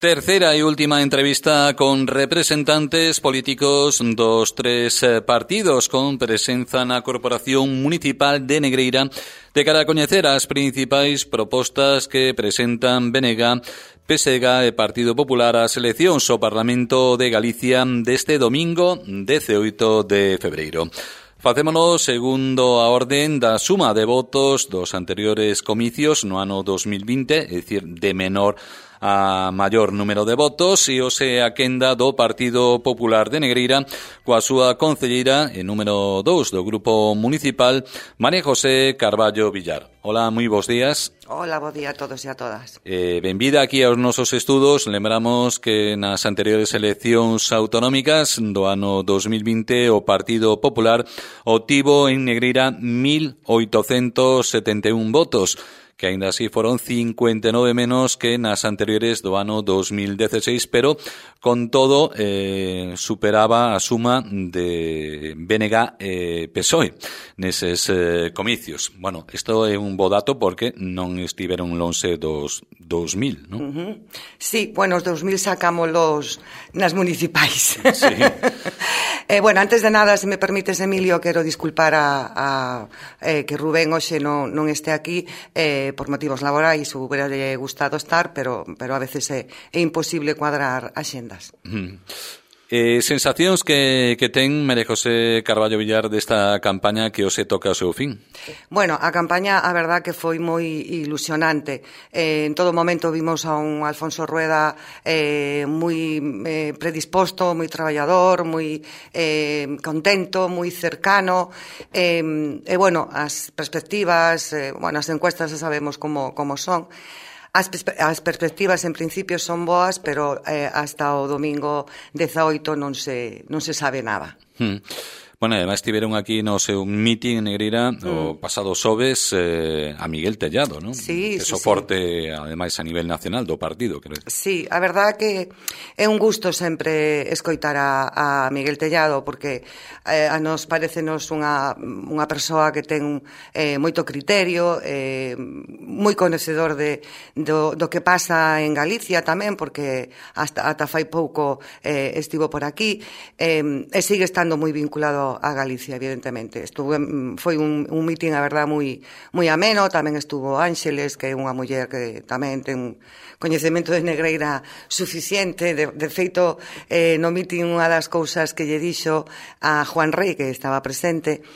Terceira e última entrevista con representantes políticos dos tres partidos con presenza na Corporación Municipal de Negreira de cara a coñecer as principais propostas que presentan BNG, PSG e Partido Popular ás eleccións ao Parlamento de Galicia deste domingo 18 de febreiro. Facémonos segundo a orden da suma de votos dos anteriores comicios no ano 2020, é dicir, de menor a maior número de votos, e hoxe a quenda do Partido Popular de Negreira coa súa concelleira e número 2 do Grupo Municipal, María José Carballo Villar. Hola, moi bons días. Hola, bo día a todos e a todas. Benvida aquí aos nosos estudos. Lembramos que nas anteriores eleccións autonómicas do ano 2020 o Partido Popular obtivo en Negreira 1.871 votos, que aínda así foron 59 menos que nas anteriores do ano 2016, pero con todo superaba a suma de BNG e PSOE neses comicios. Bueno, isto é un bo dato porque non estiveron lonxe dos 2000, non? Sí, bueno, os 2000 sacámolos nas municipais. Sí. Bueno, antes de nada, se me permites, Emilio, quero disculpar a que Rubén hoxe non este aquí por motivos laborais. Hubiera gustado estar, pero a veces é imposible cuadrar axendas. Sensacións que ten María José Carballo Villar desta campaña que hoxe toca o seu fin? Bueno, a campaña, a verdad que foi moi ilusionante. En todo momento vimos a un Alfonso Rueda moi predisposto, moi traballador, moi contento, moi cercano. E, bueno, as perspectivas, as encuestas xa sabemos como son. As perspectivas en principio son boas, pero hasta o domingo 18 non se sabe nada. Bueno, además estiveron aquí no seu meeting en Negreira o pasado xoves a Miguel Tellado, non? Sí, que soporte, ademais, a nivel nacional do partido, creo. Sí, a verdad que é un gusto sempre escoitar a Miguel Tellado, porque a nos parecenos unha persoa que ten moito criterio, moi coñecedor do que pasa en Galicia tamén, porque ata fai pouco estivo por aquí, e sigue estando moi vinculado a Galicia, evidentemente. Foi un meeting, a verdad, moi ameno. Tamén estuvo Ángeles, que é unha muller que tamén ten coñecemento de Negreira suficiente. De feito, no meeting unha das cousas que lle dixo a Juan Rey, que estaba presente,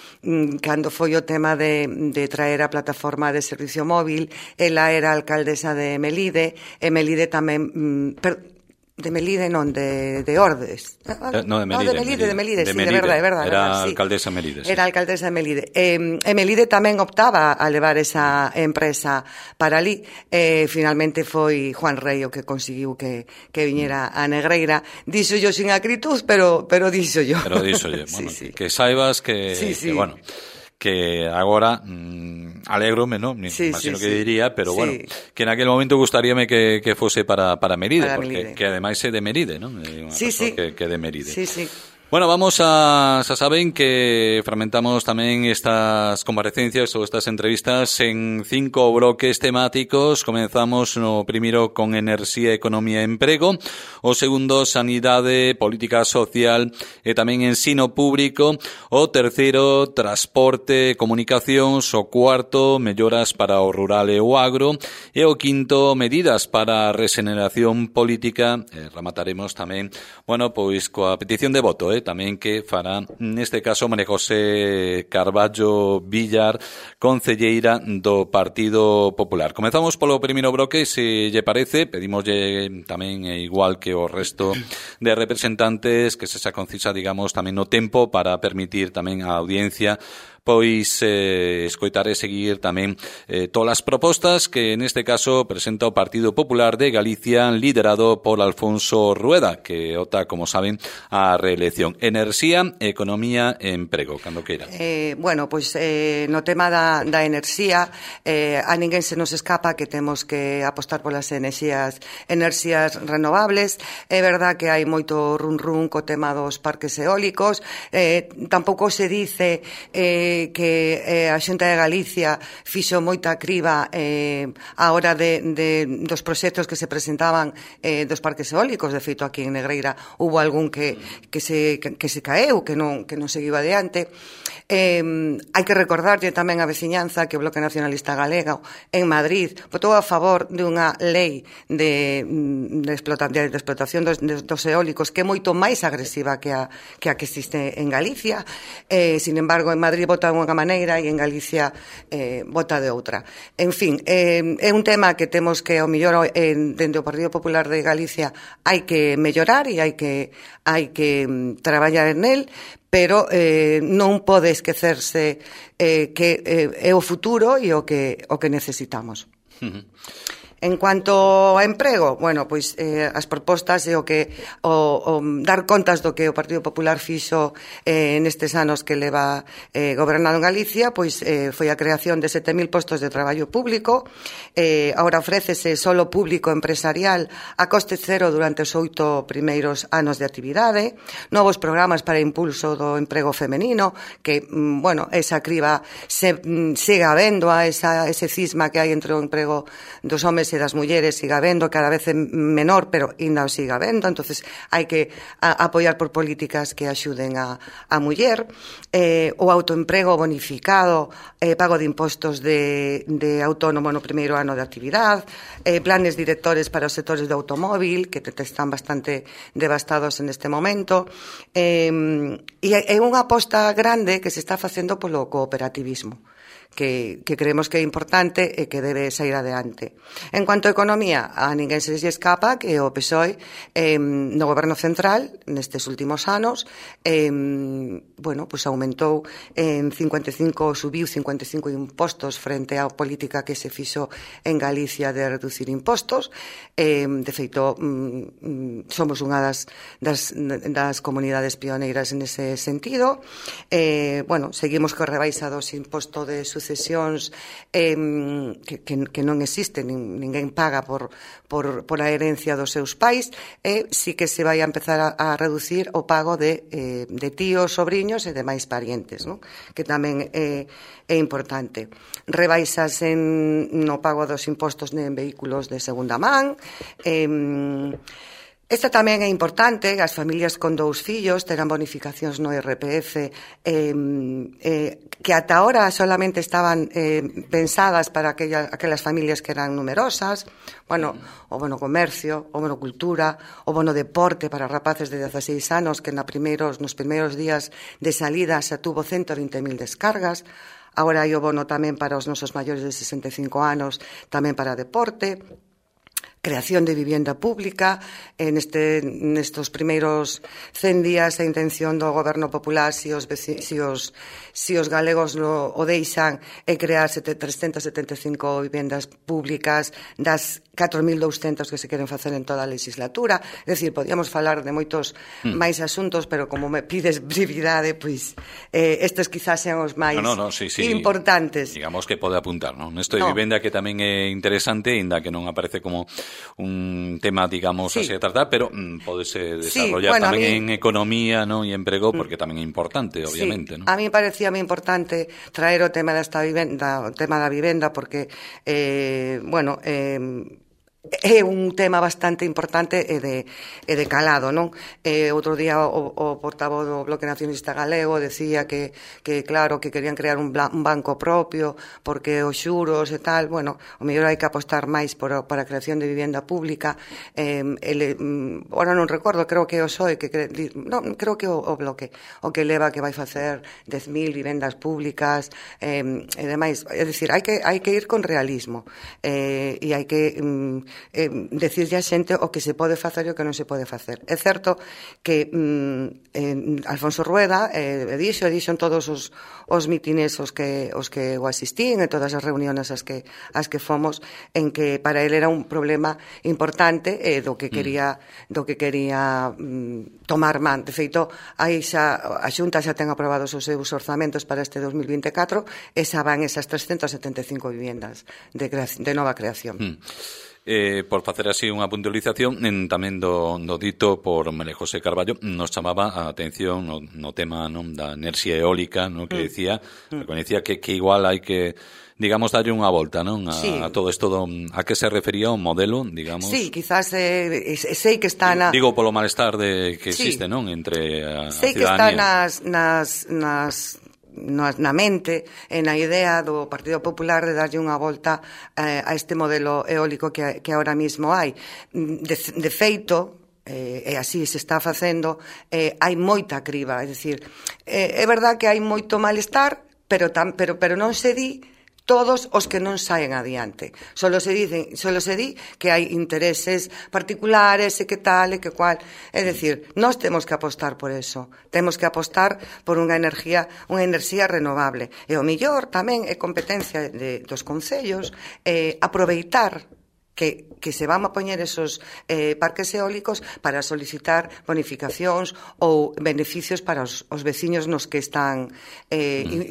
cando foi o tema de traer a plataforma de servicio móvil, ela era alcaldesa de Melide, e Melide tamén... De Melide non, de Ordes. No, de Melide. De Melide, sí, de verdade. Era sí. alcaldesa de Melide. Sí. Era alcaldesa de Melide. E Melide tamén optaba a levar esa empresa para ali. Finalmente foi Juan Rey o que conseguiu que viñera a Negreira. Díxo yo sin acritud, pero díxo yo. Pero díxo yo. Bueno, sí. Que saibas que, sí. que bueno... que agora alégrome, ¿no? Imagino que diría, pero bueno, que en aquel momento gustaríame que fose para Melide, porque que ademais é de Melide, ¿no? Sí. Que de Melide. Sí. Bueno, vamos xa saben que fragmentamos tamén estas comparecencias ou estas entrevistas en 5 bloques temáticos. Comenzamos no primeiro con enerxía, economía e emprego, o segundo sanidade, política social e tamén ensino público, o terceiro transporte, comunicacións, o cuarto melloras para o rural e o agro, e o quinto medidas para a regeneración política. Remataremos tamén, bueno, pois coa petición de voto, tamén que fará neste caso María José Carballo Villar, concelleira do Partido Popular. Comezamos polo primeiro bloque, se lle parece, pedimoslle tamén igual que o resto de representantes que se xa concisa, digamos, tamén no tempo para permitir tamén a audiencia pois escoitar e seguir tamén todas as propostas que neste caso presenta o Partido Popular de Galicia, liderado por Alfonso Rueda, que opta, como saben, a reelección. Enerxía, economía e emprego, cando queira. Bueno, pois no tema da enerxía, a ninguén se nos escapa que temos que apostar polas enerxías renovables. É verdad que hai moito run co tema dos parques eólicos. Tampouco se dice que a Xunta de Galicia fixo moita criba á hora dos proxectos que se presentaban dos parques eólicos. De feito, aquí en Negreira hubo algún que se caeu, que non seguiu adiante. Hai que recordarlle tamén a veciñanza que o Bloque Nacionalista Galego en Madrid votou a favor dunha lei de explotación dos eólicos que é moito máis agresiva que a que existe en Galicia. Sin embargo, en Madrid vota de unha maneira e en Galicia vota de outra. En fin, é un tema que temos que, ao mellor, dende o Partido Popular de Galicia hai que mellorar e hai que traballar en él, pero non pode esquecerse que é o futuro e o que necesitamos. En cuanto ao emprego, bueno, pois as propostas e o dar contas do que o Partido Popular fixo nestes anos que leva gobernado en Galicia, pois foi a creación de 7.000 postos de traballo público. Agora ofrécese solo público empresarial a coste cero durante os 8 primeiros anos de actividade, novos programas para impulso do emprego femenino, que, bueno, esa criba siga habendo a ese cisma que hai entre o emprego dos homes e das mulleres, siga habendo, cada vez menor, pero ainda o siga habendo. Entonces hai que apoiar por políticas que axuden a muller, o autoemprego bonificado, pago de impostos de autónomo no primeiro ano de actividade, planes directores para os sectores do automóvil, que están bastante devastados en este momento, e é unha aposta grande que se está facendo polo cooperativismo, que creemos que é importante e que debe sair adiante. En cuanto a economía, a ninguén se lle escapa que o PSOE no goberno central nestes últimos anos bueno, pues aumentou subiu 55 impostos frente á política que se fixo en Galicia de reducir impostos. De feito, somos unha das comunidades pioneiras en ese sentido. Bueno, seguimos co rebaixa dos impostos de sucesións que non existe, ninguén paga por a herencia dos seus pais, e sí que se vai a empezar a reducir o pago de tíos, sobriños e demais parientes, ¿no? Que tamén é importante. Rebaixas no pago dos impostos en vehículos de segunda man. Esta tamén é importante, as familias con 2 fillos terán bonificacións no IRPF que ata ahora solamente estaban pensadas para aquelas familias que eran numerosas. Bueno, o bono comercio, o bono cultura, o bono deporte para rapaces de 16 anos que nos primeiros días de salida xa tuvo 120.000 descargas. Agora hai o bono tamén para os nosos maiores de 65 anos, tamén para deporte. Creación de vivienda pública. Nestos primeiros 100 días a intención do Goberno Popular, se os galegos o deixan, é crear 375 vivendas públicas das 4.200 que se queren facer en toda a legislatura. É dicir, podíamos falar de moitos máis asuntos, pero como me pides brevidade, pois estes quizás sean os máis importantes. Digamos que pode apuntar, non? Nesto de vivenda que tamén é interesante, ainda que non aparece como un tema, digamos, así de tratar, pero podese desarrollar tamén en economía, non, e emprego, porque tamén é importante, obviamente, non? A mí parecíame importante traer o tema desta vivenda, o tema da vivenda, porque bueno, é un tema bastante importante e de calado, non? Outro día o portavoz do Bloque Nacionalista Galego decía que claro, que querían crear un banco propio porque os xuros e tal, bueno, o mellor hai que apostar máis para a creación de vivenda pública. Ahora non recordo, creo que o PSOE creo que o Bloque o que leva que vai facer 10.000 vivendas públicas e demais. É dicir, hai que ir con realismo e hai que decirlle a xente o que se pode facer e o que non se pode facer. É certo que Alfonso Rueda dixo en todos os mitines os que o asistín, en todas as reuniones as que fomos, en que para ele era un problema importante do que quería tomar man. De feito, a Xunta xa ten aprobados os seus orzamentos para este 2024 e xa van esas 375 viviendas de nova creación. Por facer así unha puntualización tamén do dito por María José Carballo, nos chamaba a atención no tema, non, da enerxía eólica, non, que decía, reconecía que igual hai que, digamos, darlle unha volta, non, a todo isto a que se refería o modelo, digamos. Sí, quizás sei que está digo polo malestar que existe, non, entre a sei ciudadanía. Que está na mente e na idea do Partido Popular de darlle unha volta a este modelo eólico que ahora mismo hai. De feito, e así se está facendo, hai moita criba, é dicir, é verdad que hai moito malestar, pero non se di todos os que non saen adiante. Solo se di que hai intereses particulares e que tal e que cual. É dicir, nós temos que apostar por eso. Temos que apostar por unha enerxía renovable. E o millor tamén é competencia dos concellos aproveitar que se van a poñer esos parques eólicos para solicitar bonificacións ou beneficios para os veciños nos que están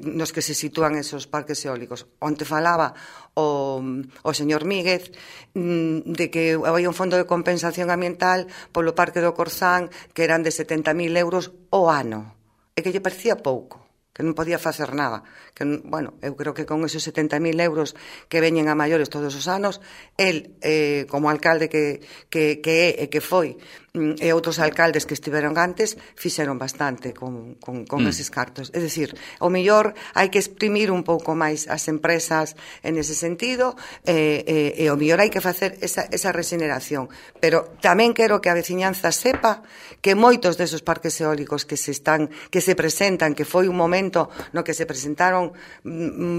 nos que se sitúan esos parques eólicos. Onte falaba o señor Míguez de que había un fondo de compensación ambiental polo Parque do Corzán que eran de 70.000 euros o ano e que lle parecía pouco, que non podía facer nada. Que, bueno, eu creo que con esos 70.000 euros que veñen a maiores todos os anos, el, como alcalde que é e que foi, e outros alcaldes que estiveron antes, fixeron bastante con eses cartos. É dicir, o mellor hai que exprimir un pouco máis as empresas en ese sentido, e o mellor hai que facer esa regeneración. Pero tamén quero que a veciñanza sepa que moitos desos parques eólicos que se presentan, que foi un momento no que se presentaron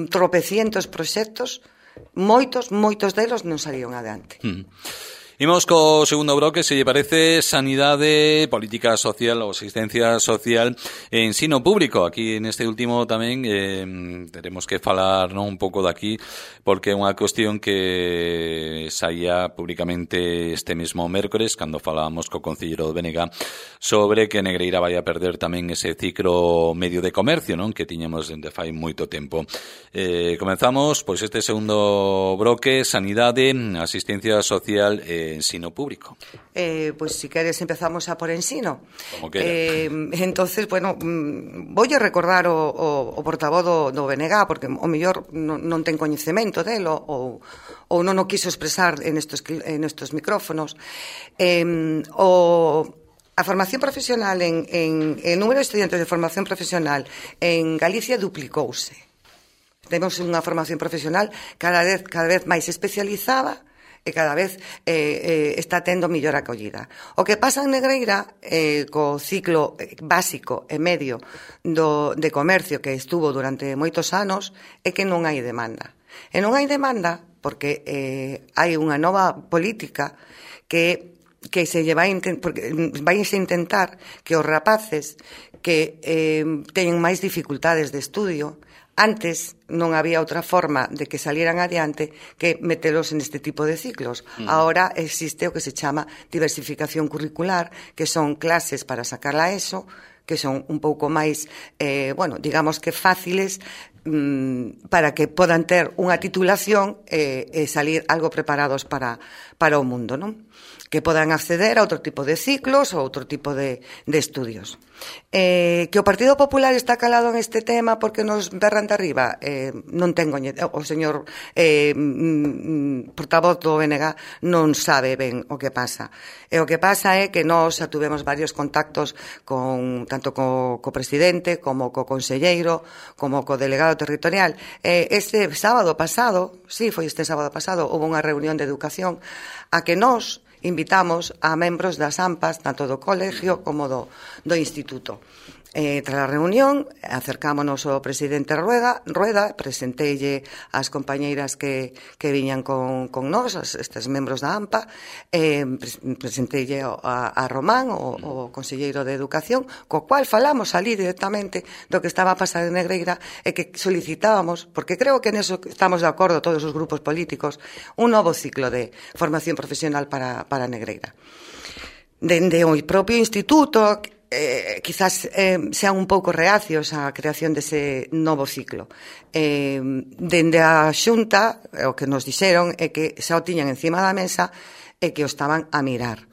tropecientos proxectos, moitos delos non salieron adiante. Imos co segundo bloque, se lle parece, sanidade, política social ou asistencia social e ensino público. Aquí neste último tamén teremos que falar un pouco daqui, porque é unha cuestión que saía públicamente este mesmo mércores cando falábamos co concelleiro do BNG sobre que Negreira vai a perder tamén ese ciclo medio de comercio, non, que tiñamos dende fai moito tempo. Comenzamos pois este segundo bloque, sanidade, asistencia social e ensino público. Pois si queres empezamos a por ensino. Como queira. Entonces, bueno, voulle recordar o portavoz do BNG, porque o mellor non ten coñecemento delo ou non o quiso expresar en estos micrófonos. A formación profesional en número de estudiantes de formación profesional en Galicia duplicouse. Temos unha formación profesional cada vez máis especializada e cada vez está tendo mellor acollida. O que pasa en Negreira co ciclo básico e medio de comercio que estuvo durante moitos anos é que non hai demanda. E non hai demanda porque hai unha nova política que se vai a intentar que os rapaces que teñen máis dificultades de estudio, antes non había outra forma de que salieran adiante que metelos en este tipo de ciclos. Ahora existe o que se chama diversificación curricular, que son clases para sacar a ESO, que son un pouco máis, digamos que fáciles para que podan ter unha titulación e salir algo preparados para o mundo, non? Que podan acceder a outro tipo de ciclos ou outro tipo de estudios. Que o Partido Popular está calado en este tema porque nos berran de arriba, non tengo, o señor portavoz do BNG non sabe ben o que pasa. E o que pasa é que nós tuvemos varios contactos tanto co presidente como co conselleiro como co delegado territorial. Este sábado pasado, houve unha reunión de educación a que nós invitamos a membros das AMPAs, tanto do colegio como do instituto. Tras a reunión, acercámonos ao presidente Rueda, presenteille as compañeiras que viñan con nós, estes membros da AMPA, presenteille a Román, o conselleiro de Educación, co cual falamos ali directamente do que estaba a pasar en Negreira e que solicitábamos, porque creo que neso estamos de acordo todos os grupos políticos, un novo ciclo de formación profesional para Negreira. Dende o propio instituto quizás sean un pouco reacios á creación dese novo ciclo. Dende a Xunta, o que nos dixeron é que xa o tiñan encima da mesa e que o estaban a mirar.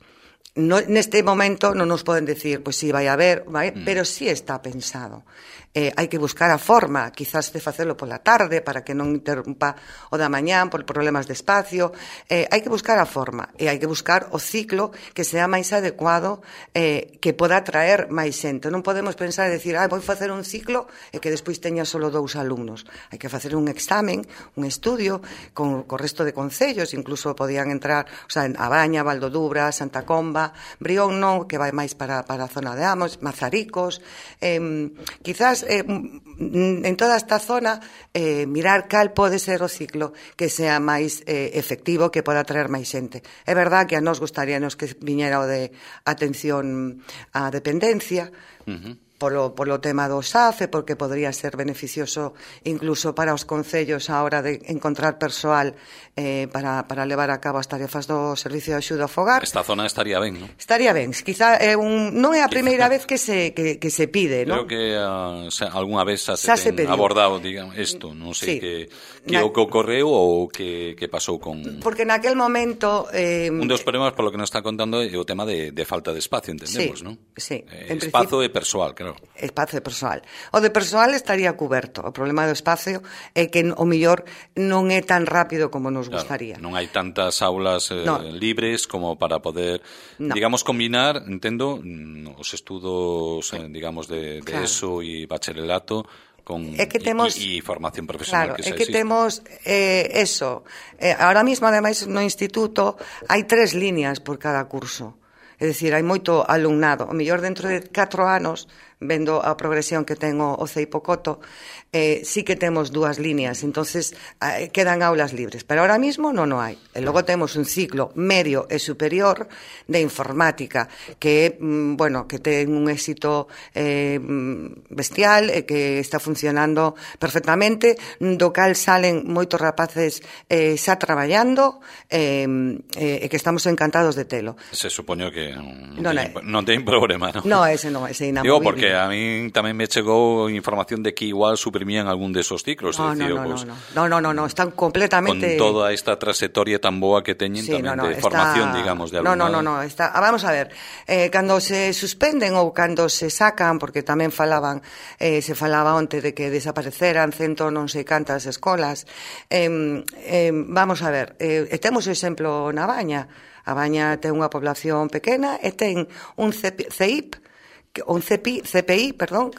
Neste momento non nos poden decir, pois si vai haber, pero si está pensado. Hai que buscar a forma, quizás de facelo pola tarde para que non interrumpa o da mañán por problemas de espacio. Hai que buscar a forma e hai que buscar o ciclo que sea máis adecuado, que poda atraer máis xente. Non podemos pensar e decir, vou facer un ciclo e que despois teña só 2 alumnos. Hai que facer un examen, un estudio con o resto de concellos, incluso podían entrar, o sea, a Baña, Valdodubra, Santa Comba, Brión non, que vai máis para a zona de Amos, Mazaricos, quizás en toda esta zona mirar cal pode ser o ciclo que sea máis efectivo, que poda atraer máis xente. É verdad que a nos gustaríanos que viñera o de atención á dependencia, polo tema do SAFE, porque podría ser beneficioso incluso para os concellos a hora de encontrar persoal para levar a cabo as tarefas do Servicio de Axuda ao Fogar. Esta zona estaría ben, non? Estaría ben. Quizá non é a primeira vez que se pide, non? Creo que algunha vez xa se ten abordado, digamos, isto. Non sei que o que ocorreu ou que pasou con... Porque naquel momento... un dos problemas, polo que nos está contando, é o tema de falta de espacio, entendemos, non? Sí. Espazo e persoal, claro. Espazo de persoal. O de persoal estaría cuberto. O problema do espacio é que o mellor non é tan rápido como nos gustaría. Non hai tantas aulas libres como para poder, digamos, combinar, entendo, os estudos, digamos, de ESO e bacharelato con e formación profesional. Claro, é que temos eso. Ahora mismo, ademais, no instituto hai 3 líneas por cada curso. É dicir, hai moito alumnado. O mellor dentro de 4 anos, vendo a progresión que ten o CEIPO Coto, sí que temos 2 líneas, entonces quedan aulas libres, pero ahora mismo non o hai. E logo temos un ciclo medio e superior de informática que, que ten un éxito bestial e que está funcionando perfectamente, do cal salen moitos rapaces xa traballando e que estamos encantados de telo. Se supoño que non ten problema, non? No, ese inamovible. Digo, porque a mí tamén me chegou información de que igual suprimían algún desos ciclos. No, están completamente... Con toda esta trayectoria tan boa que teñen tamén de formación, digamos, de alumnado. No, está... Vamos a ver, cando se suspenden ou cando se sacan, porque tamén se falaba onte de que desapareceran non sei cantas escolas, vamos a ver, temos o exemplo na Baña. A Baña ten unha población pequena e ten un CPI,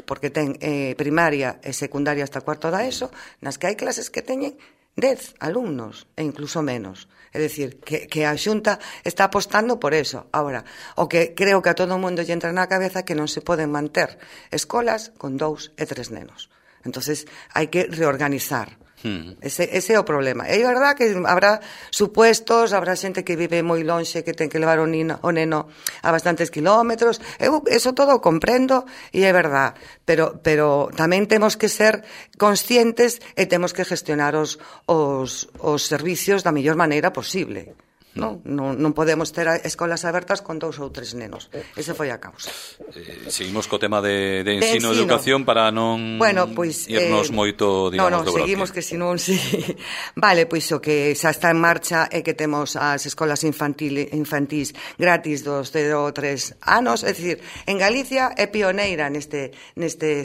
porque ten primaria e secundaria hasta cuarto da ESO, nas que hai clases que teñen 10 alumnos e incluso menos. É dicir, que a Xunta está apostando por eso. Ahora, o que creo que a todo o mundo lle entra na cabeza que non se poden manter escolas con 2 e 3 nenos. Entonces, hai que reorganizar. Ese é o problema. É verdad que habrá supuestos, habrá xente que vive moi lonxe, que ten que levar o neno a bastantes kilómetros. Eso todo o comprendo e é verdad, pero tamén temos que ser conscientes e temos que gestionar os servicios da mellor maneira posible. Non podemos ter escolas abertas con 2 ou 3 nenos. Ese foi a causa. Seguimos co tema de ensino e educación para non irnos moito, digamos, do bloque. Seguimos que senón sí. Vale, pois o que xa está en marcha é que temos as escolas infantís gratis dos 0 a 3 anos, é dicir, en Galicia é pioneira neste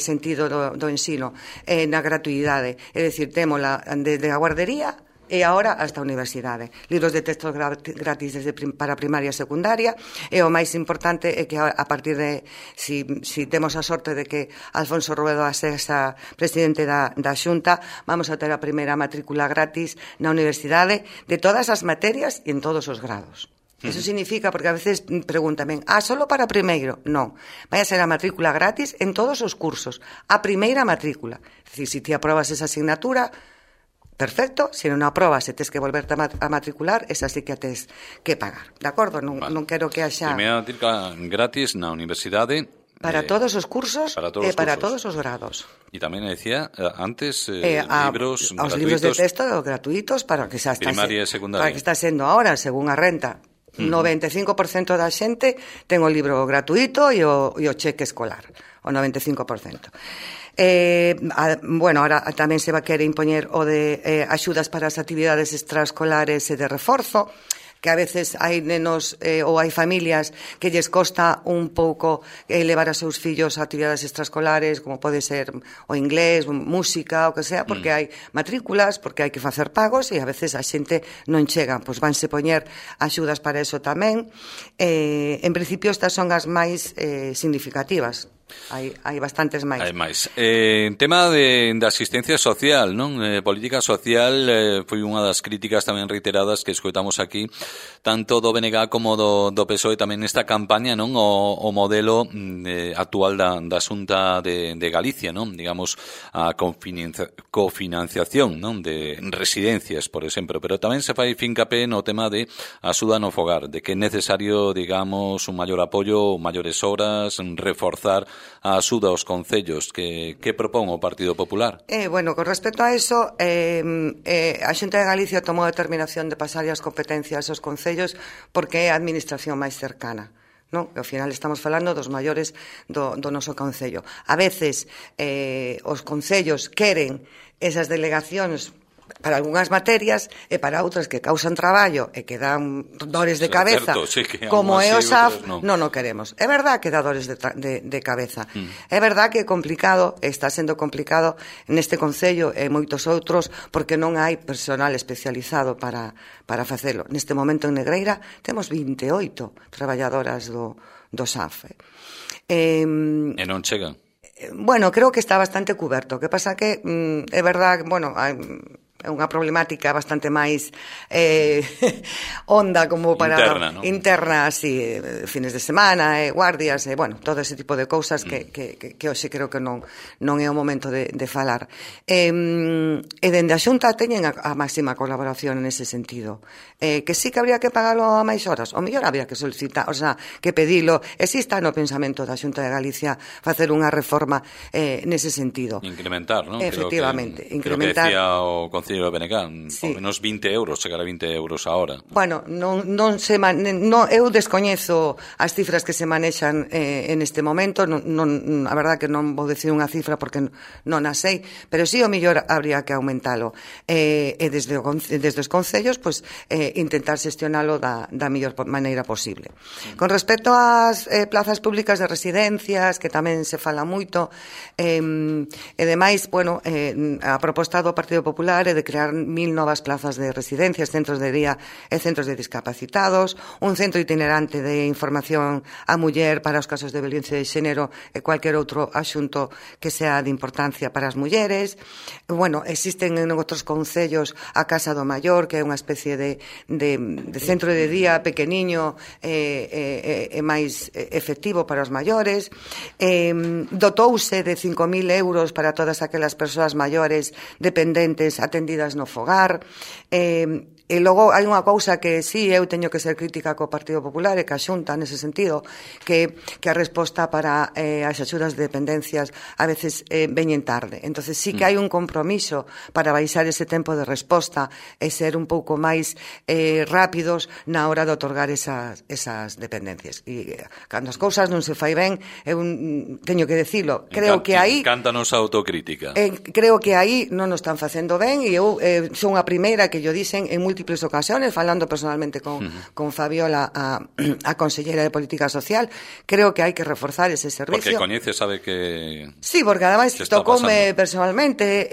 sentido do ensino, na gratuidade. É dicir, témola desde a guardería e agora hasta a universidade. Libros de texto gratis para primaria e secundaria, e o máis importante é que a partir de, si temos a sorte de que Alfonso Rueda sexa presidente da Xunta, vamos a ter a primeira matrícula gratis na universidade de todas as materias e en todos os grados. Eso significa, porque a veces pregúntame, solo para primeiro? Non, vai a ser a matrícula gratis en todos os cursos, a primeira matrícula. É dicir, se ti aprobas esa asignatura, perfecto, se non aprobas e tes que volverte a matricular, esa sí que a tes que pagar, de acordo? Non quero que haxa... Primeira matrícula gratis na universidade... Para todos os cursos e para todos os grados. E tamén decía antes libros gratuitos. Os libros de texto gratuitos para que xa está... Primaria e secundaria. Para que está sendo ahora, según a renta. 95% da xente ten o libro gratuito e o cheque escolar, o 95%. Bueno, ahora tamén se va a querer impoñer o de axudas para as actividades extraescolares e de reforzo, que a veces hai nenos ou hai familias que lles costa un pouco levar a seus fillos a actividades extraescolares, como pode ser o inglés, música, o que sea, porque hai matrículas, porque hai que facer pagos e a veces a xente non chega, pois vanse poñer axudas para eso tamén. En principio estas son as máis significativas. Hai bastantes máis. Hai máis. Tema de asistencia social, non? Política social foi unha das críticas tamén reiteradas que escoitamos aquí, tanto do BNG como do PSOE tamén nesta campaña, non? O modelo actual da Xunta de Galicia, non? Digamos, a cofinanciación, non? De residencias, por exemplo, pero tamén se fai fincapé no tema de axuda no fogar, de que é necesario, digamos, un maior apoio, maiores horas, reforzar a axuda aos concellos que propón o Partido Popular. Bueno, con respecto a eso, a Xunta de Galicia tomou a determinación de pasar as competencias aos concellos porque é a administración máis cercana. Non? Ao final estamos falando dos maiores do noso concello. A veces os concellos queren esas delegacións para algunhas materias e para outras que causan traballo e que dan dores de cabeza, certo, sí, como é o SAF, non o queremos. É verdad que dá dores de cabeza. É verdad que é complicado, está sendo complicado neste concello e moitos outros, porque non hai personal especializado para facelo. Neste momento en Negreira temos 28 traballadoras do SAF. E non chegan? Bueno, creo que está bastante cuberto. O que pasa que é verdad, bueno, é unha problemática bastante máis honda como para interna, así, fines de semana, guardias, bueno, todo ese tipo de cousas que hoxe creo que non é o momento de falar. E dende a Xunta teñen a máxima colaboración nese sentido. Que sí que habría que pagalo a máis horas, o mellor habría que solicitar, o sea, que pedilo. Exista no pensamento da Xunta de Galicia facer unha reforma nese sentido. Incrementar, non? Efectivamente, incrementar. Creo que decía o Concello de BNG, sí. Ao menos 20 euros, chegar a 20 euros a hora. Bueno, eu descoñezo as cifras que se manexan en este momento, a verdad que non vou decir unha cifra porque non a sei, pero sí o mellor habría que aumentalo. E desde os concellos, pues, intentar xestionalo da mellor maneira posible. Con respecto ás plazas públicas de residencias, que tamén se fala moito, e demais, bueno, a proposta do Partido Popular é de crear 1000 novas plazas de residencias, centros de día e centros de discapacitados, un centro itinerante de información á muller para os casos de violencia de xénero e cualquier outro asunto que sea de importancia para as mulleres. Bueno, existen en outros concellos a Casa do Maior, que é unha especie de centro de día pequeniño e máis efectivo para os maiores. Dotouse de 5.000 euros para todas aquelas persoas maiores dependentes atendidas no fogar. E logo hai unha cousa que sí, eu teño que ser crítica co Partido Popular e que a Xunta nese sentido, que a resposta para as axudas de dependencias a veces veñen tarde. Entonces sí que hai un compromiso para baixar ese tempo de resposta e ser un pouco máis rápidos na hora de otorgar esas dependencias. E cando as cousas non se fai ben, eu teño que decilo, creo que aí Cántanos a autocrítica. Creo que aí non nos están facendo ben e eu son a primeira que yo dicen en múltiples ocasiones, falando personalmente con Fabiola, a consellera de Política Social, creo que hai que reforzar ese servicio. Porque coñece, sabe que... Sí, porque ademais tocoume personalmente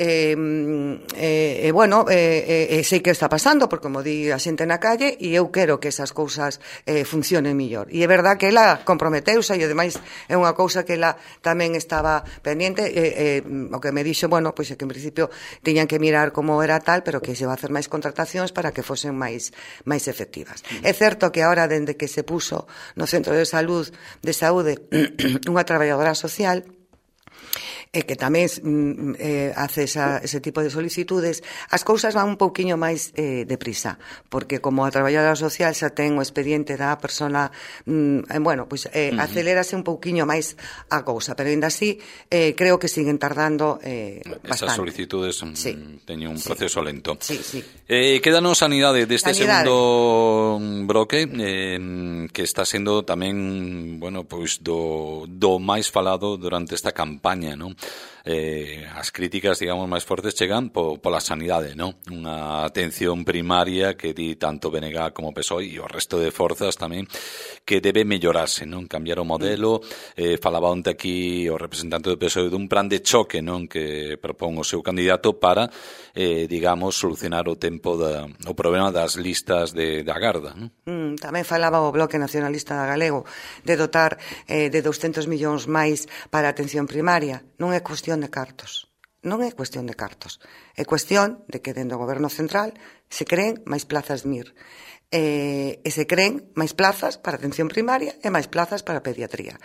bueno, sei que está pasando, porque como di a xente na calle, e eu quero que esas cousas funcionen millor. E é verdad que ela comprometeuse, e ademais é unha cousa que ela tamén estaba pendiente, o que me dixo, bueno, pois é que en principio tiñan que mirar como era tal, pero que se va a hacer máis contratacións para que fosen máis efectivas. É certo que agora, dende que se puso no Centro de Saúde unha traballadora social, e que tamén hace ese tipo de solicitudes, as cousas van un pouquiño máis deprisa, porque como a traballadora social xa ten o expediente da persona, bueno, pois acelérase un pouquiño máis a cousa, pero ainda así creo que siguen tardando bastante. Esas solicitudes teñen un proceso lento. Sí, sí. Quédanos sanidade deste segundo bloque, que está sendo tamén, bueno, pois do máis falado durante esta campaña, non? As críticas, digamos, máis fortes chegan pola sanidade, non? Unha atención primaria que di tanto BNG como PSOE e o resto de forzas tamén que debe mellorarse, non? Cambiar o modelo. Falaba onte aquí o representante do PSOE dun plan de choque, non? Que propón o seu candidato para, digamos, solucionar o problema das listas de agarda, non? Tamén falaba o Bloque Nacionalista Galego de dotar de 200 millóns máis para a atención primaria. Non é cuestión de cartos. Non é cuestión de cartos. É cuestión de que dentro do Goberno Central se creen máis plazas MIR. E se creen máis plazas para atención primaria e máis plazas para pediatría.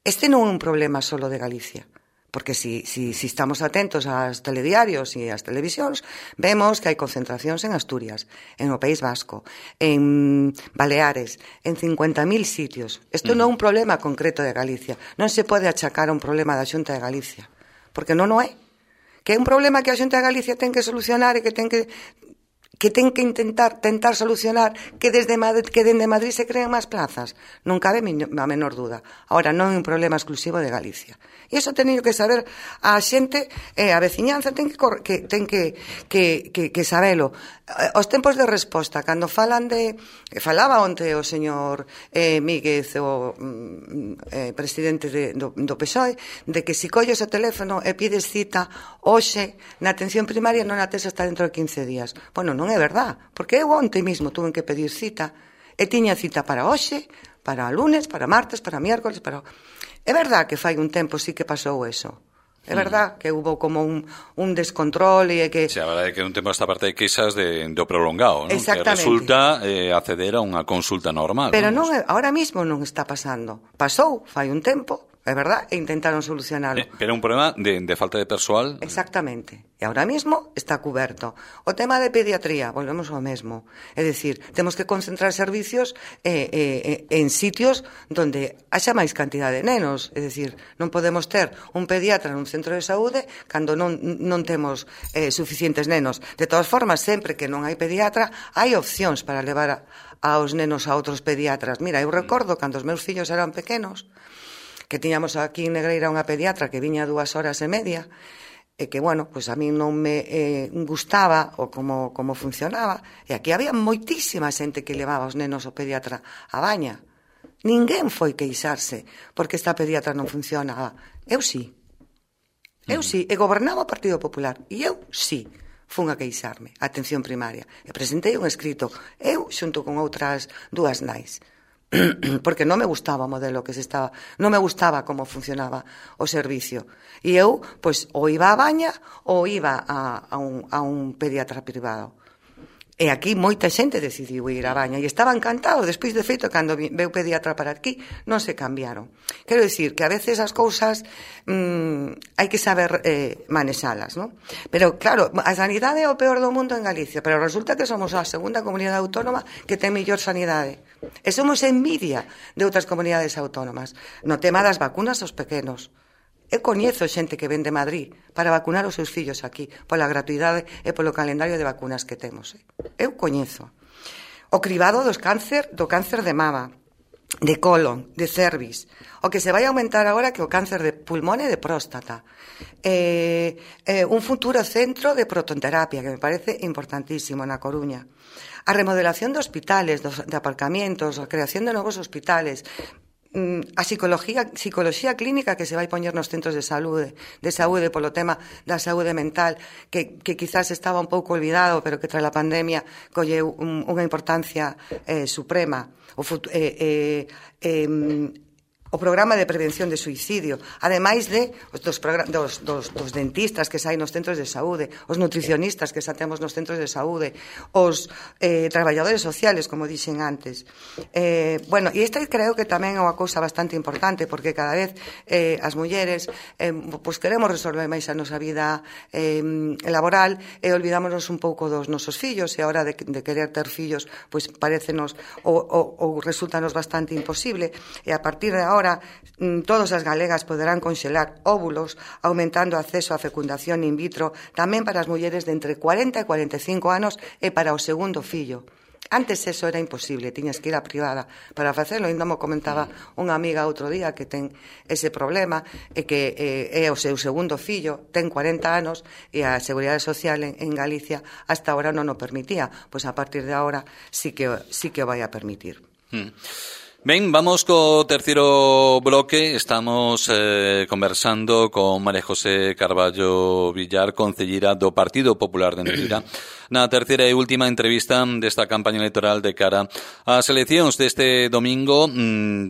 Este non é un problema só de Galicia. Porque si estamos atentos aos telediarios e ás televisións, vemos que hai concentracións en Asturias, en o País Vasco, en Baleares, en 50.000 sitios. Isto non é un problema concreto de Galicia. Non se pode achacar a un problema da Xunta de Galicia, porque non o é. Que é un problema que a Xunta de Galicia ten que solucionar e que ten que tentar solucionar que dende Madrid se creen máis plazas. Non cabe a menor duda. Ahora, non é un problema exclusivo de Galicia. E iso teño que saber a xente, a veciñanza ten que sabelo. Os tempos de resposta, cando falaba onte o señor Míguez, o presidente do PSOE, de que si colles o teléfono e pides cita hoxe na atención primaria non a tes hasta dentro de 15 días. Bueno, non é verdad, porque eu onte mesmo tuve que pedir cita e tiña cita para hoxe, para lunes, para martes, para miércoles, para... É verdad que fai un tempo sí que pasou eso. É verdad que hubo como un descontrol e que... Sí, a verdade é que un tempo esta parte de queixas do prolongado, non? Exactamente. Que resulta acceder a unha consulta normal. Pero non, ahora mismo non está pasando. Pasou, fai un tempo, é verdad, e intentaron solucionarlo. Pero un problema de falta de persoal. Exactamente. E ahora mismo está cuberto. O tema de pediatría, volvemos ao mesmo. É dicir, temos que concentrar servicios en sitios donde haxa máis cantidad de nenos. É dicir, non podemos ter un pediatra nun centro de saúde cando non temos suficientes nenos. De todas formas, sempre que non hai pediatra, hai opcións para levar aos nenos a outros pediatras. Mira, eu recordo cando os meus fillos eran pequenos, que tiñamos aquí en Negreira unha pediatra que viña 2 horas e media, e que, bueno, pois a mí non me gustaba o como funcionaba, e aquí había moitísima xente que levaba os nenos ao pediatra a Baña. Ninguén foi queixarse porque esta pediatra non funcionaba. Eu sí, e gobernaba o Partido Popular, e eu sí fun a queixarme a atención primaria, e presentei un escrito, eu xunto con outras 2 nais, porque non me gustaba o modelo que non me gustaba como funcionaba o servicio, e eu, pois, ou iba a Baña ou iba a un pediatra privado. E aquí moita xente decidiu ir a Baña e estaba encantado. Despois, de feito, cando veu pediatra para aquí, non se cambiaron. Quero dicir que a veces as cousas hai que saber manexalas, non? Pero, claro, a sanidade é o peor do mundo en Galicia, pero resulta que somos a segunda comunidade autónoma que ten mellor sanidade. E somos envidia de outras comunidades autónomas. No tema das vacunas aos pequenos. Eu coñezo xente que ven de Madrid para vacunar os seus fillos aquí, pola gratuidade e polo calendario de vacunas que temos. Eu coñezo. O cribado do cáncer de mama, de colon, de cervix. O que se vai aumentar agora que o cáncer de pulmón e de próstata. Un futuro centro de protonterapia, que me parece importantísimo na Coruña. A remodelación de hospitales, de aparcamientos, a creación de novos hospitales, a psicología clínica que se vai poñer nos centros de saúde polo tema da saúde mental que quizás estaba un pouco olvidado, pero que tras a pandemia colleu unha importancia suprema. o programa de prevención de suicidio, ademais de dos dentistas que saen nos centros de saúde, os nutricionistas que xa temos nos centros de saúde, os traballadores sociales, como dixen antes. Bueno, e esta creo que tamén é unha cousa bastante importante, porque cada vez as mulleres pois queremos resolver máis a nosa vida laboral e olvidámonos un pouco dos nosos fillos, e a hora de querer ter fillos, pois parecenos ou resultanos bastante imposible, e a partir de agora todas as galegas poderán conxelar óvulos, aumentando o acceso á fecundación in vitro tamén para as mulleres de entre 40 e 45 anos e para o segundo fillo. Antes eso era imposible, tiñas que ir á privada para facelo. Ainda mo comentaba unha amiga outro día que ten ese problema e que é o seu segundo fillo, ten 40 anos e a Seguridade Social en Galicia hasta ahora non o permitía. Pois a partir de agora sí que o vai a permitir. Ben, vamos co terceiro bloque. Estamos conversando con María José Carballo Villar, concelleira do Partido Popular de Neira, na terceira e última entrevista desta campaña electoral de cara ás eleccións deste domingo 18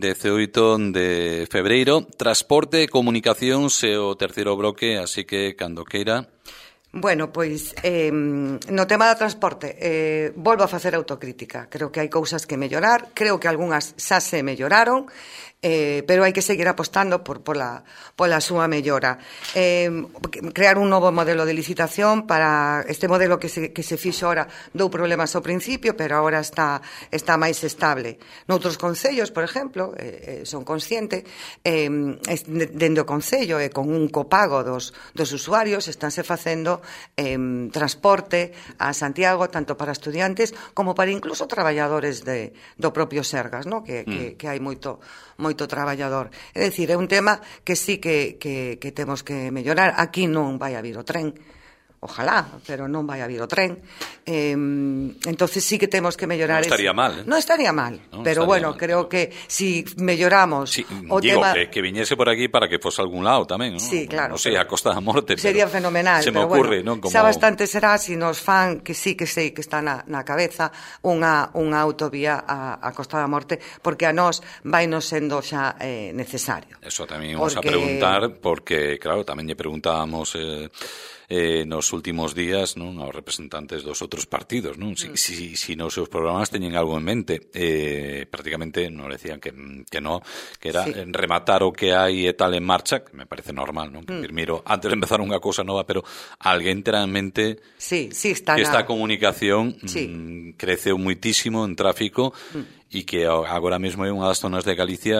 de febreiro. Transporte, comunicacións e o terceiro bloque, así que cando queira. Bueno, pois, no tema do transporte, volvo a facer autocrítica. Creo que hai cousas que mellorar, creo que algunhas xa se melloraron, pero hai que seguir apostando pola súa mellora. Crear un novo modelo de licitación para este modelo que se fixo ahora dou problemas ao principio, pero agora está máis estable. Noutros concellos, por exemplo, son consciente, dende o concello e con un copago dos usuarios estánse facendo transporte a Santiago tanto para estudiantes como para incluso traballadores do propio Sergas, ¿no? que hai moito traballador. É dicir, é un tema que sí que temos que mellorar. Aquí non vai a vir o tren, ojalá, pero non vai a vir o tren. Entonces sí que temos que mellorar. Non estaría mal, Non estaría mal, no, pero bueno, mal. Creo que si melloramos o tema... que viñese por aquí para que fose a algún lado tamén, ¿no? Sí, claro. Non sei, a Costa da Morte. Sería fenomenal, se me ocurre, bueno, ¿no? Como... xa bastante será si nos fan, que sí que sei que está na cabeza, unha autovía a Costa da Morte, porque a nós vai nos sendo xa necesario. Eso tamén vamos a preguntar, porque, claro, tamén lle preguntábamos... nos últimos días, non, aos representantes dos outros partidos, non? Si nos seus programas teñen algo en mente, prácticamente nos decían que no, que era rematar o que hai e tal en marcha, que me parece normal, non? Primeiro, antes de empezar unha cousa nova, pero alguén terá en mente que esta comunicación creceu muitísimo en tráfico e que agora mesmo é unha das zonas de Galicia,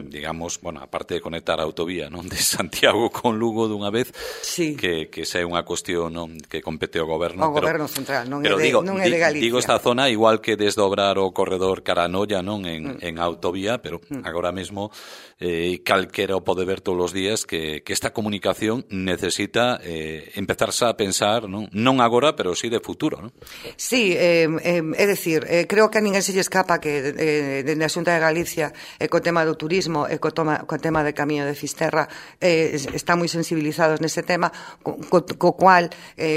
digamos, bueno, aparte de conectar a autovía, non, de Santiago con Lugo dunha vez, que esa é unha cuestión, non, que compete ao goberno. O goberno central, non é de Galicia. Digo esta zona, igual que desdobrar o corredor Caranoia, non, en autovía, pero agora mesmo calquera o pode ver todos os días que esta comunicación necesita empezarse a pensar, non agora, pero sí de futuro, non? Sí, é dicir, creo que a ninguén se lle escapa que dende a Xunta de Galicia co tema do turismo e co tema de Camiño de Fisterra están moi sensibilizados nese tema, co cual,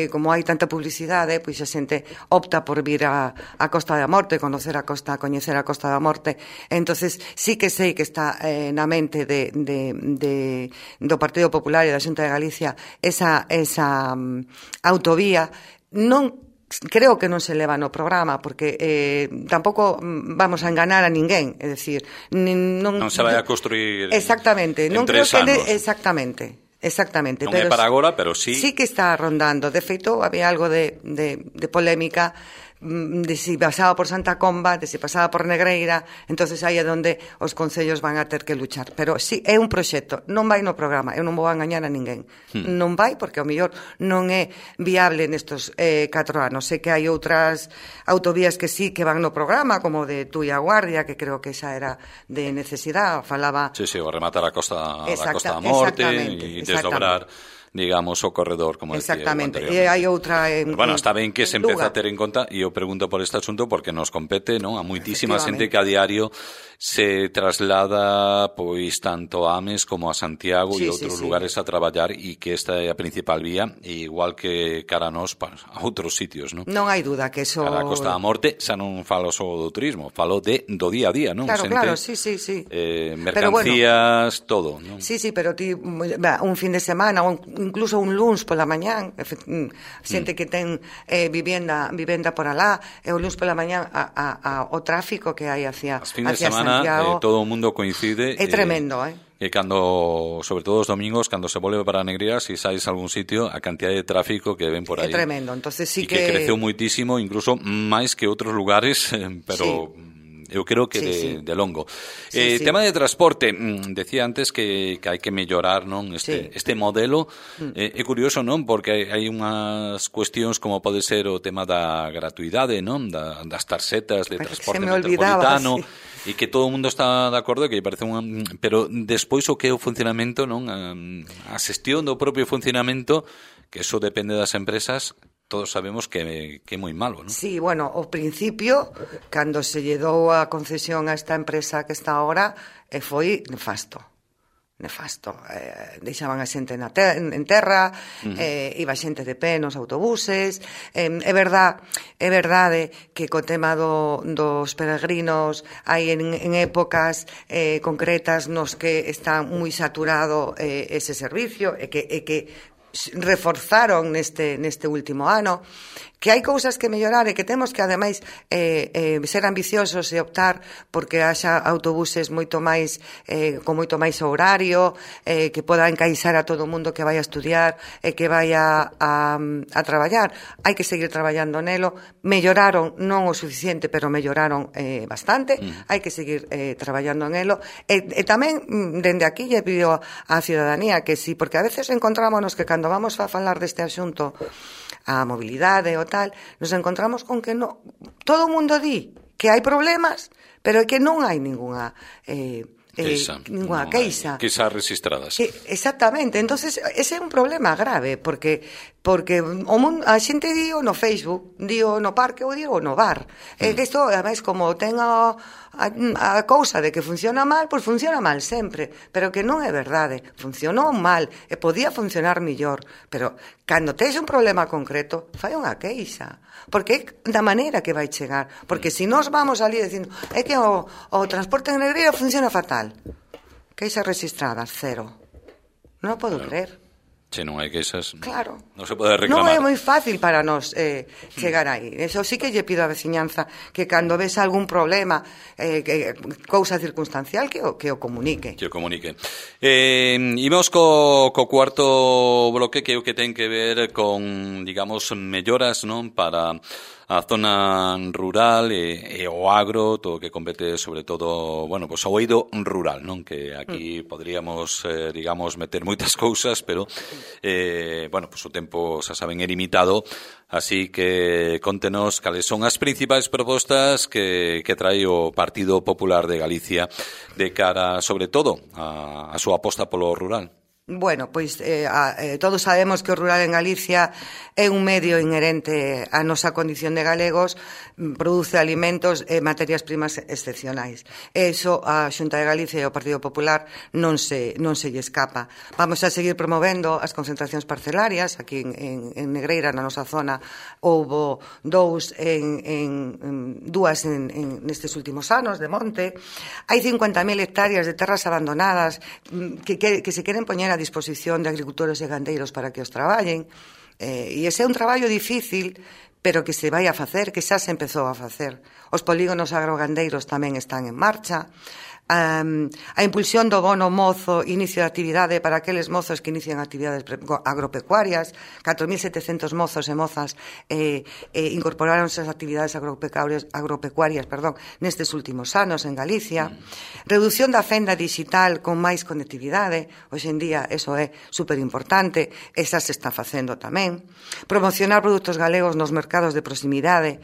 como hai tanta publicidade, pois a xente opta por vir a Costa da Morte, coñecer a Costa da Morte. Entonces sí que sei que está na mente do Partido Popular e da Xunta de Galicia esa autovía. Creo que non se leva no programa, porque tampouco vamos a enganar a ninguén, é dicir, non se vai a construir exactamente, en 3 anos. Exactamente. Non é para agora, pero sí. Sí que está rondando. De feito, había algo de polémica de si pasaba por Santa Comba, de si pasaba por Negreira, entonces aí é onde os concellos van a ter que luchar. Pero sí, é un proxecto, non vai no programa, eu non vou a engañar a ninguén. Non vai, porque ao mellor non é viable nestos 4 anos. Sei que hai outras autovías que sí que van no programa, como de Tui a Guardia, que creo que esa era de necesidade, falaba... Sí, o rematar a Costa da Morte e digamos, o corredor, como decía. Exactamente, e hai outra bueno, está ben que se empeza a ter en conta, e eu pregunto por este asunto porque nos compete, non? A moitísima xente que a diario se traslada pois tanto a Ames como a Santiago e outros lugares a traballar, e que esta é a principal vía, igual que cara a nós a outros sitios, non? Non hai duda que eso... Cara a Costa da Morte xa non falo só do turismo, falo do día a día, non? Claro, xente, claro, sí. Mercancías, bueno, todo, non? Sí, pero ti, un fin de semana, ou incluso un luns pola mañán, xente que ten vivenda por alá, e o luns pola mañán o tráfico que hai hacia Santiago. As fines de semana todo o mundo coincide. É tremendo, E cando, sobre todo os domingos, cando se volve para Negrías, se sais a algún sitio, a cantidad de tráfico que ven por aí. É tremendo, entonces sí que creceu muitísimo, incluso máis que outros lugares, pero... Sí. Eu creo que de longo. Tema de transporte, decía antes que hai que mellorar, non, este modelo. É curioso, non, porque hai unhas cuestións como pode ser o tema da gratuidade, non, das tarxetas de transporte metropolitano, e que todo o mundo está de acordo, que parece pero despois o que é o funcionamento, non, a xestión do propio funcionamento, que eso depende das empresas. Todos sabemos que é moi malo, non? Sí, bueno, ao principio, cando se lle dou a concesión a esta empresa que está agora, foi nefasto. Deixaban a xente en terra, iba xente de pé nos autobuses. É verdade que co tema dos peregrinos hai en épocas concretas nos que está moi saturado ese servicio, e que reforzaron neste último ano, que hai cousas que mellorar e que temos que, ademais, ser ambiciosos e optar porque haxa autobuses moito máis con moito máis horario, que poda encaixar a todo o mundo que vai a estudiar e que vai a traballar. Hai que seguir traballando nelo. Melloraron, non o suficiente, pero melloraron bastante. Hai que seguir traballando nelo. E tamén, dende aquí, lle pido á ciudadanía que sí, porque a veces encontrámonos que cando vamos a falar deste asunto, a mobilidade ou tal, nos encontramos con que todo o mundo di que hai problemas, pero que non hai ninguna queixa. Queixas registradas. Exactamente, entonces ese é un problema grave, porque a xente dio no Facebook, dio no parque ou dio no bar. Que isto, ademais, como ten a cousa de que funciona mal, pois funciona mal sempre, pero que non é verdade, funcionou mal e podía funcionar mellor, pero cando tes un problema concreto, fai unha queixa, porque é da maneira que vai chegar, porque se nós vamos ali dicindo é que o transporte en Negreira funciona fatal, queixas registradas, 0, non o podo creer. Se non hai queixas, claro, non se pode reclamar. Non é moi fácil para nós chegar aí. Eso sí que lle pido á veciñanza que cando ves algún problema, cousa circunstancial, que o comunique. Que o comunique. Imos co cuarto bloque, que é o que ten que ver con, digamos, melloras, non, para a zona rural e o agro, todo o que compete sobre todo, bueno, pues ao eido rural, non? Que aquí poderíamos, digamos, meter moitas cousas, pero, bueno, pues o tempo, xa saben, é limitado, así que contenos cales son as principais propostas que trae o Partido Popular de Galicia de cara, sobre todo, a súa aposta polo rural. Bueno, pois todos sabemos que o rural en Galicia é un medio inherente á nosa condición de galegos, produce alimentos e materias primas excepcionais. Eso a Xunta de Galicia e o Partido Popular non se lle escapa. Vamos a seguir promovendo as concentracións parcelarias. Aquí en Negreira, na nosa zona, houbo dúas nestes últimos anos de monte. Hai 50.000 hectáreas de terras abandonadas que se queren poñer a disposición de agricultores e gandeiros para que os traballen, e ese é un traballo difícil, pero que se vai a facer, que xa se empezou a facer. Os polígonos agrogandeiros tamén están en marcha. A impulsión do bono mozo, inicio de actividade para aqueles mozos que inician actividades agropecuarias. 4.700 mozos e mozas incorporáronse as actividades agropecuarias nestes últimos anos en Galicia. Reducción da fenda digital con máis conectividade. Hoxe en día eso é superimportante, esa se está facendo tamén. Promocionar produtos galegos nos mercados de proximidade,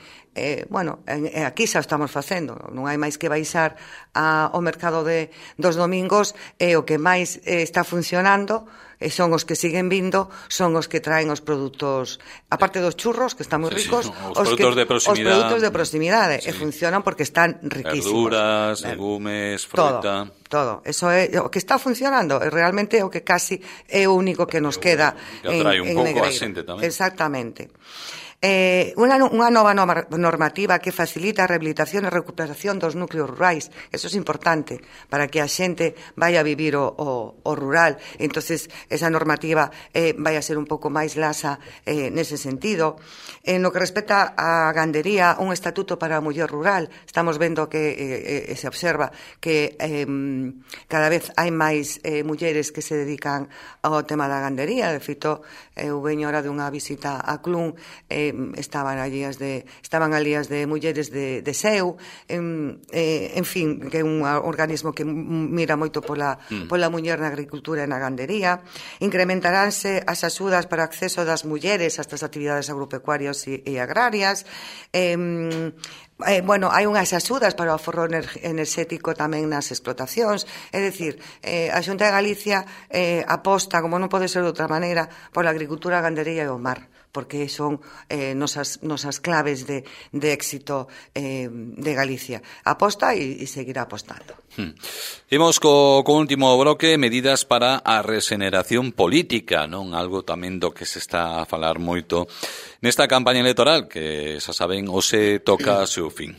bueno, aquí xa estamos facendo, non hai máis que baixar ao mercado dos domingos, e o que máis está funcionando son os que siguen vindo, son os que traen os produtos, aparte dos churros, que están moi ricos, os produtos de proximidade. Os produtos de proximidade, e funcionan porque están riquísimos. Verduras, legumes, fruta. Todo. Eso é o que está funcionando, e realmente o que casi é o único que nos queda en Negreira. Exactamente. Unha nova normativa que facilita a rehabilitación e recuperación dos núcleos rurais. Eso é importante para que a xente vaya a vivir o rural. Entonces, esa normativa vai a ser un pouco máis laxa nese sentido. No que respecta á gandería, un estatuto para a muller rural. Estamos vendo que se observa que cada vez hai máis mulleres que se dedican ao tema da gandería. De feito, eu veño ahora dunha visita a Clun, estaban ali as de mulleres de SEU, en fin, que é un organismo que mira moito pola muller na agricultura e na gandería. Incrementaránse as axudas para o acceso das mulleres a estas actividades agropecuarias e agrarias. Bueno, hai unhas axudas para o aforro enerxético tamén nas explotacións, é dicir, a Xunta de Galicia aposta, como non pode ser de outra maneira, pola agricultura, a gandería e o mar, porque son nosas claves de éxito de Galicia. Aposta e seguirá apostando. Imos co último bloque, medidas para a regeneración política, non? Algo tamén do que se está a falar moito nesta campaña electoral, que xa saben, hoxe toca seu fin.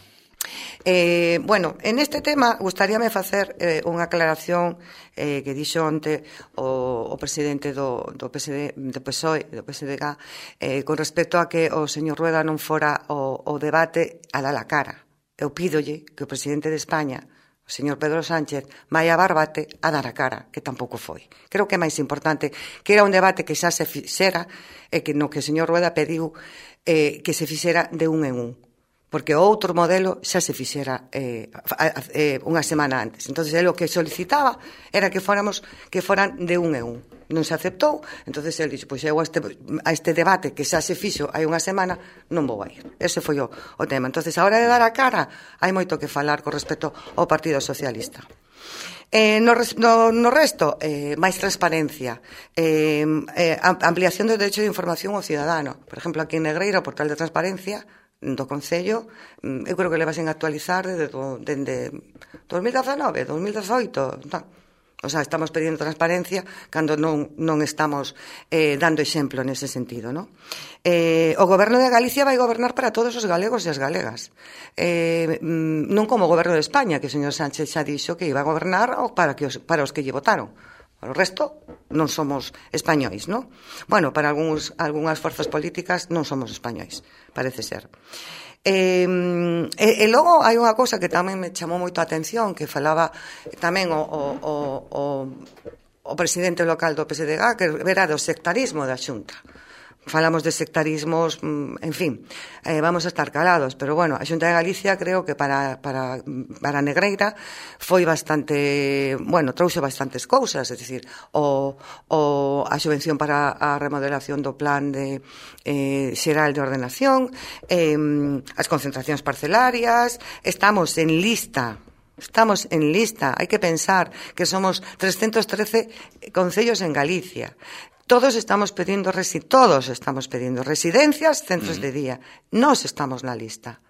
Bueno, en este tema gustaríame facer unha aclaración que dixo onte o presidente do PSOE, do PSDG, con respecto a que o señor Rueda non fora o debate a dar a cara. Eu pídolle que o presidente de España, o señor Pedro Sánchez, vai a Barbate a dar a cara, que tampouco foi. Creo que é máis importante que era un debate que xa se fixera e que no que o señor Rueda pediu que se fixera de un en un, porque o outro modelo xa se fixera unha semana antes. Entón, o que solicitaba era que foran de un en un. Non se aceptou, entón ele dixo, pois eu a este debate que xa se fixo hai unha semana non vou a ir. Ese foi o tema. Entón, a hora de dar a cara, hai moito que falar con respecto ao Partido Socialista. No resto, máis transparencia, ampliación do derecho de información ao cidadano. Por exemplo, aquí en Negreira, o portal de transparencia do Concello, eu creo que le vasen actualizar desde 2019, 2018, non. O sea, estamos pedindo transparencia cando non estamos dando exemplo nese sentido, non? O Goberno de Galicia vai gobernar para todos os galegos e as galegas. Non como o Goberno de España, que o señor Sánchez xa dixo que iba a gobernar para os que lle votaron. O resto non somos españois, non? Bueno, para algunhas forzas políticas non somos españois, parece ser. E logo hai unha cousa que tamén me chamou moito a atención, que falaba tamén o presidente local do PSDG, que era do sectarismo da Xunta. Falamos de sectarismos, en fin, vamos a estar calados, pero bueno, a Xunta de Galicia creo que para Negreira foi bastante, bueno, trouxe bastantes cousas, é dicir, a subvención para a remodelación do plan xeral de ordenación, as concentracións parcelarias, estamos en lista, hai que pensar que somos 313 concellos en Galicia. Todos estamos pedindo residencias, centros de día. Nós estamos na lista.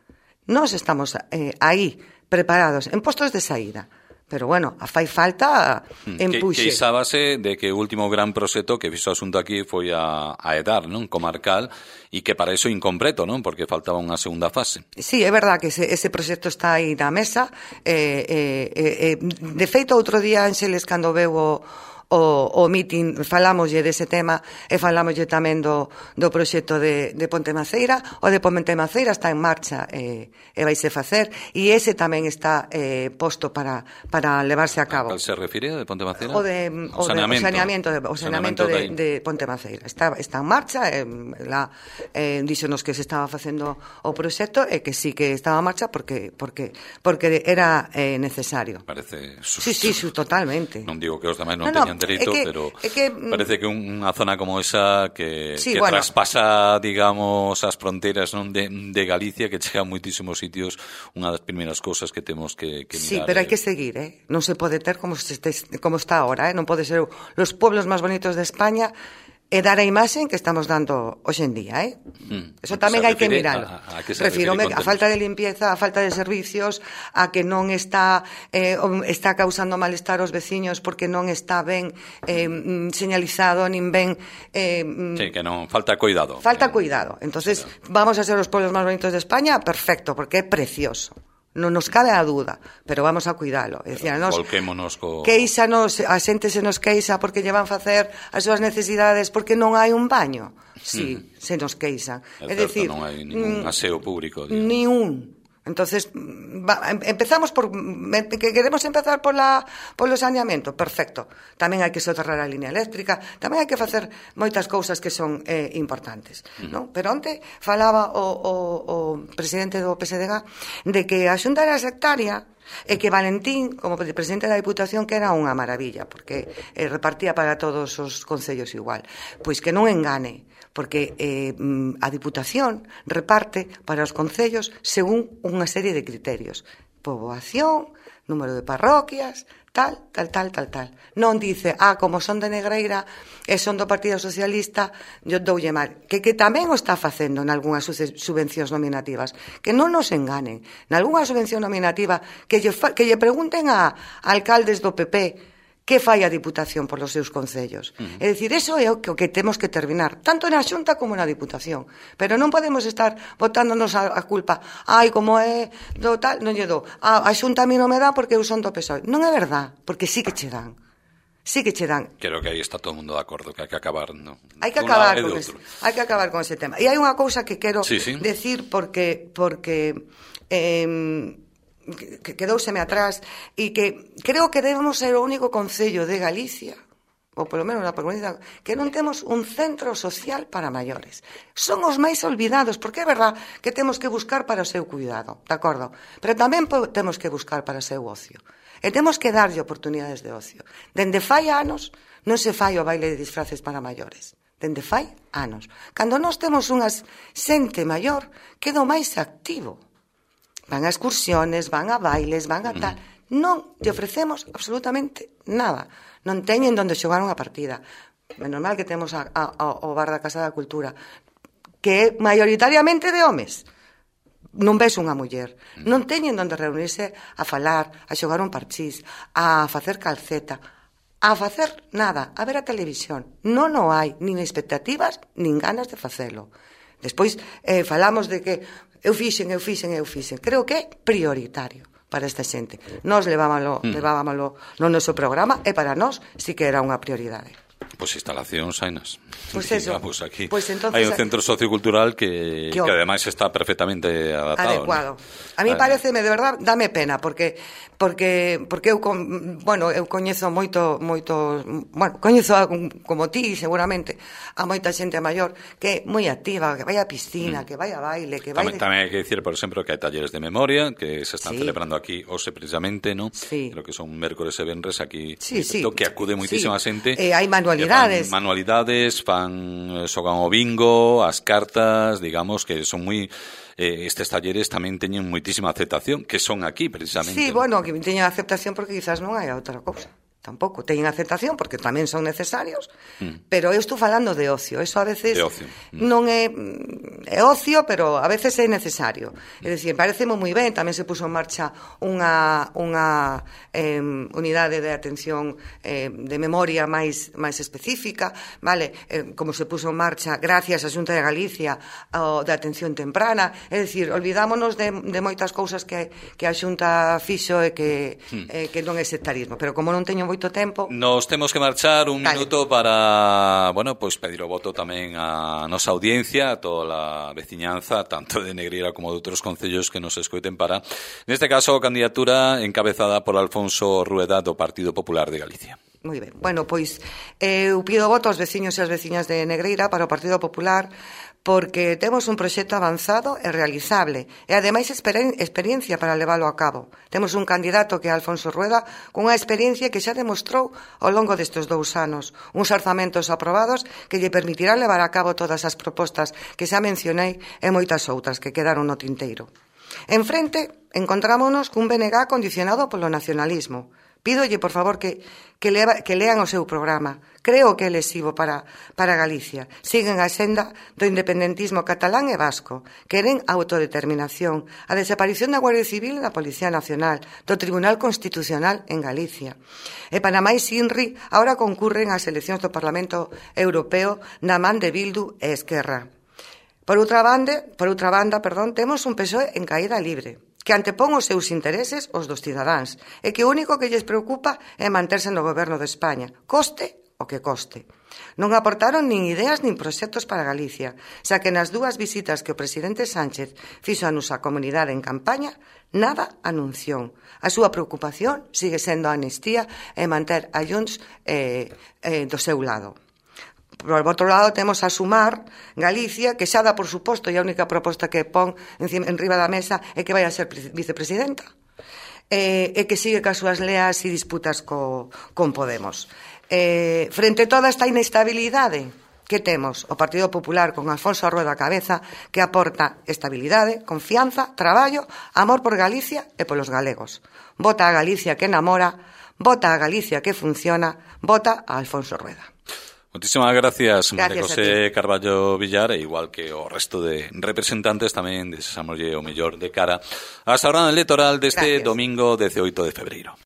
Nós estamos aí, preparados, en postos de saída. Pero, bueno, fai falta empuxe. Queixábase de que o último gran proxecto que fixo o asunto aquí foi a EDAR, non? Comarcal, e que para iso incompleto, non? Porque faltaba unha segunda fase. Sí, é verdad que ese proxecto está aí na mesa. De feito, outro día, Ángeles, cando veu o meeting, falámoslle dese tema e falámoslle tamén do proxecto de Ponte Maceira. O de Ponte Maceira está en marcha e vaise facer, e ese tamén está posto para levarse a cabo. ¿A cal se refire, de Ponte Maceira? O saneamento de Ponte Maceira. Está en marcha, díxonos que se estaba facendo o proxecto e que sí que estaba en marcha porque era necesario. Parece Sí, totalmente. Non digo que os demais non teñan dereito, pero parece que unha zona como esa que traspasa, digamos, as fronteiras, non, de Galicia, que chega a moitísimos sitios, unha das primeiras cousas que temos que mirar. Sí, pero hai que seguir, non se pode ter como está ahora, non pode ser os pueblos máis bonitos de España e dar a imaxe que estamos dando hoxe en día, Eso tamén hai que miralo. Refírome a falta de limpieza, a falta de servicios, a que non está causando malestar aos veciños porque non está ben señalizado, nin ben... Sí, que non, falta cuidado. Falta cuidado. Entonces, vamos a ser os pueblos máis bonitos de España, perfecto, porque é precioso. Non nos cabe a dúda, pero vamos a cuidalo. Volquémonos queixanos, a xente se nos queixa porque lle van facer as súas necesidades porque non hai un baño. Sí, se nos queixan. É decir, non hai ningún aseo público. Ni un. Entonces, empezamos que queremos empezar polo saneamento, perfecto. Tamén hai que soterrar a línea eléctrica, tamén hai que facer moitas cousas que son importantes, non? Pero onte falaba o presidente do PSDG de que a Xunta era sectaria e que Valentín, como presidente da Diputación, que era unha maravilla, porque repartía para todos os concellos igual. Pois que non engane, porque a Diputación reparte para os concellos según unha serie de criterios. Poboación, número de parroquias, tal. Non dice, como son de Negreira e son do Partido Socialista, yo doulle mal. Que tamén o está facendo en algunhas subvencións nominativas. Que non nos enganen. En algunha subvención nominativa que lle pregunten a alcaldes do PP que fai a Diputación polos seus concellos. É dicir, eso é o que temos que terminar, tanto na Xunta como na Diputación. Pero non podemos estar botándonos a culpa. Como é do tal, non lle dou. A Xunta a mí non me dá porque eu son do PSOE. Non é verdad, porque sí que che dan. Sí que che dan. Creo que aí está todo o mundo de acordo, que hai que acabar, non? Hai que acabar con ese tema. E hai unha cousa que quero decir porque que quedouseme atrás e que creo que debemos ser o único concello de Galicia, ou polo menos na comunidade, que non temos un centro social para maiores. Son os máis olvidados, porque é verdad que temos que buscar para o seu cuidado, de acordo? Pero tamén temos que buscar para o seu ocio. E temos que darlle oportunidades de ocio. Dende fai anos non se fai o baile de disfraces para maiores. Dende fai anos. Cando nós temos unha xente maior, quedo máis activo. Van a excursiones, van a bailes, van a tal. Non lle ofrecemos absolutamente nada. Non teñen onde xogar unha partida. Menos mal que temos o bar da Casa da Cultura, que é maioritariamente de homes. Non ves unha muller. Non teñen onde reunirse a falar, a xogar un parchís, a facer calceta, a facer nada, a ver a televisión. Non o hai, nin expectativas, nin ganas de facelo. Despois falamos de que eu fixen. Creo que é prioritario para esta xente. Nós levábamolo no noso programa e para nós sí que era unha prioridade. Pois instalacións hainas. Pois eso. Aquí hai un centro sociocultural que ademais está perfectamente adecuado. A mí pareceme, de verdad, dame pena, porque eu coñezo moito, coñezo como ti, seguramente, a moita xente maior que é moi activa, que vai á piscina, que vai a baile, que vai... Tamén hai que dicir, por exemplo, que hai talleres de memoria que se están celebrando aquí hoxe precisamente, non? Creo que son mércores e venres aquí, que acude moitísima xente. Hai manualidades, xogan o bingo, as cartas, digamos, que son moi... estes talleres tamén teñen moitísima aceptación, que son aquí, precisamente. Sí, que teñen aceptación porque quizás non hai outra cousa. Tampouco teñen aceptación porque tamén son necesarios, pero eu estou falando de ocio. Eso a veces non é ocio, pero a veces é necesario. É dicir, pareceme moi ben, tamén se puso en marcha unha unidade de atención de memoria máis específica, vale? Como se puso en marcha gracias á Xunta de Galicia de atención temprana. É dicir, olvidámonos de moitas cousas que a Xunta fixo e que non é sectarismo, pero como non teño moito tempo... Nos temos que marchar un minuto para, pedir o voto tamén a nosa audiencia, a toda a veciñanza, tanto de Negreira como de outros concellos que nos escoiten para, neste caso, a candidatura encabezada por Alfonso Rueda do Partido Popular de Galicia. Moi ben. Eu pido voto aos veciños e as veciñas de Negreira para o Partido Popular porque temos un proxecto avanzado e realizable e ademais experiencia para leválo a cabo. Temos un candidato que é Alfonso Rueda cunha experiencia que xa demostrou ao longo destes 2 anos, uns orzamentos aprobados que lle permitirán levar a cabo todas as propostas que xa mencionei e moitas outras que quedaron no tinteiro. En frente, encontrámonos cun BNG condicionado polo nacionalismo. Pídolle, por favor, que lean o seu programa. Creo que é lesivo para Galicia. Siguen a senda do independentismo catalán e vasco. Queren autodeterminación, a desaparición da Guardia Civil e da Policía Nacional, do Tribunal Constitucional en Galicia. E para máis Inri, agora concurren as eleccións do Parlamento Europeo na man de Bildu e Esquerra. Por outra banda, temos un PSOE en caída libre, que antepón os seus intereses os dos cidadáns e que o único que lles preocupa é manterse no goberno de España, coste o que coste. Non aportaron nin ideas nin proxectos para Galicia, xa que nas 2 visitas que o presidente Sánchez fixo a nosa comunidade en campaña, nada anunciou. A súa preocupación sigue sendo a amnistía e manter a Junts do seu lado. Por outro lado, temos a Sumar Galicia, que xa dá por suposto e a única proposta que pon en riba da mesa é que vai a ser vicepresidenta e que sigue cas súas leas e disputas con Podemos. Frente a toda esta inestabilidade que temos, o Partido Popular con Alfonso Rueda á cabeza, que aporta estabilidade, confianza, traballo, amor por Galicia e polos galegos. Vota a Galicia que enamora, vota a Galicia que funciona, vota a Alfonso Rueda. Moitísimas gracias, María José Carballo Villar, e igual que o resto de representantes tamén deseámoslle o mellor de cara á xornada electoral deste domingo 18 de febreiro.